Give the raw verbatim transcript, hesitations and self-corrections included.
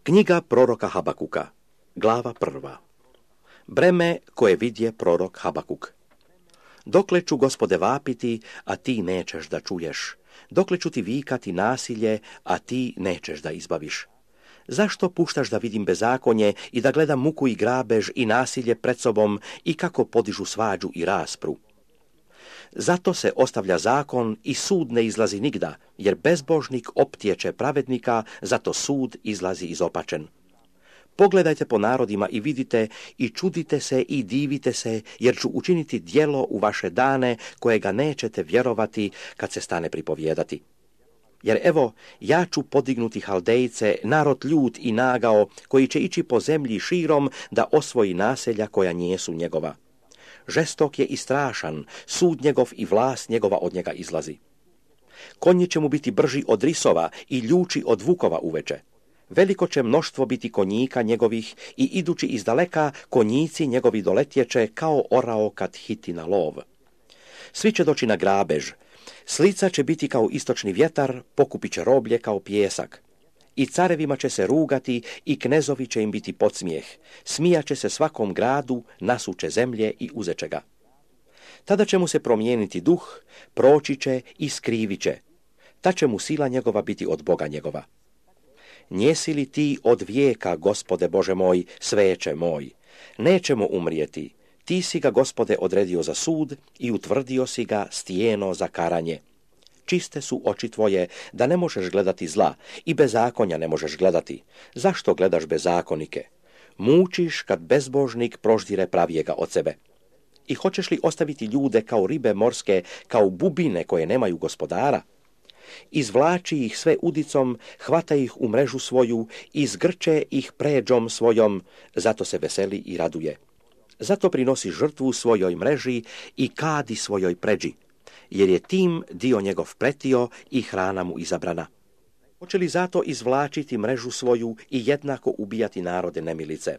Knjiga proroka Habakuka, glava prva. Breme koje vidje prorok Habakuk. Dokle ću, Gospode, vapiti, a ti nećeš da čuješ? Dokle ću ti vikati nasilje, a ti nećeš da izbaviš? Zašto puštaš da vidim bezakonje i da gledam muku i grabež i nasilje pred sobom i kako podižu svađu i raspru? Zato se ostavlja zakon i sud ne izlazi nigda, jer bezbožnik optječe pravednika, zato sud izlazi izopačen. Pogledajte po narodima i vidite i čudite se i divite se, jer ću učiniti djelo u vaše dane kojega nećete vjerovati kad se stane pripovijedati. Jer evo, ja ću podignuti Haldejce, narod ljut i nagao, koji će ići po zemlji širom da osvoji naselja koja nijesu njegova. Žestok je i strašan, sud njegov i vlast njegova od njega izlazi. Konji će mu biti brži od risova i ljuči od vukova uveče. Veliko će mnoštvo biti konjika njegovih i idući izdaleka konjici njegovi doletječe kao orao kad hiti na lov. Svi će doći na grabež, slica će biti kao istočni vjetar, pokupit će roblje kao pijesak. I carevima će se rugati i knezovi će im biti podsmijeh, smijat će se svakom gradu, nasuče zemlje i uzeće ga. Tada će mu se promijeniti duh, proći će i skrivit će, ta će mu sila njegova biti od Boga njegova. Njesi li ti od vijeka, Gospode Bože moj, sveće moj? Nećemo umrijeti, ti si ga, Gospode, odredio za sud i utvrdio si ga stijeno za karanje. Čiste su oči tvoje, da ne možeš gledati zla i bezakonja ne možeš gledati. Zašto gledaš bezakonike? Mučiš kad bezbožnik proždire pravijega od sebe. I hoćeš li ostaviti ljude kao ribe morske, kao bubine koje nemaju gospodara? Izvlači ih sve udicom, hvata ih u mrežu svoju, izgrče ih pređom svojom, zato se veseli i raduje. Zato prinosi žrtvu svojoj mreži i kadi svojoj pređi, jer je tim dio njegov pretio i hrana mu izabrana. Hoće li zato izvlačiti mrežu svoju i jednako ubijati narode nemilice?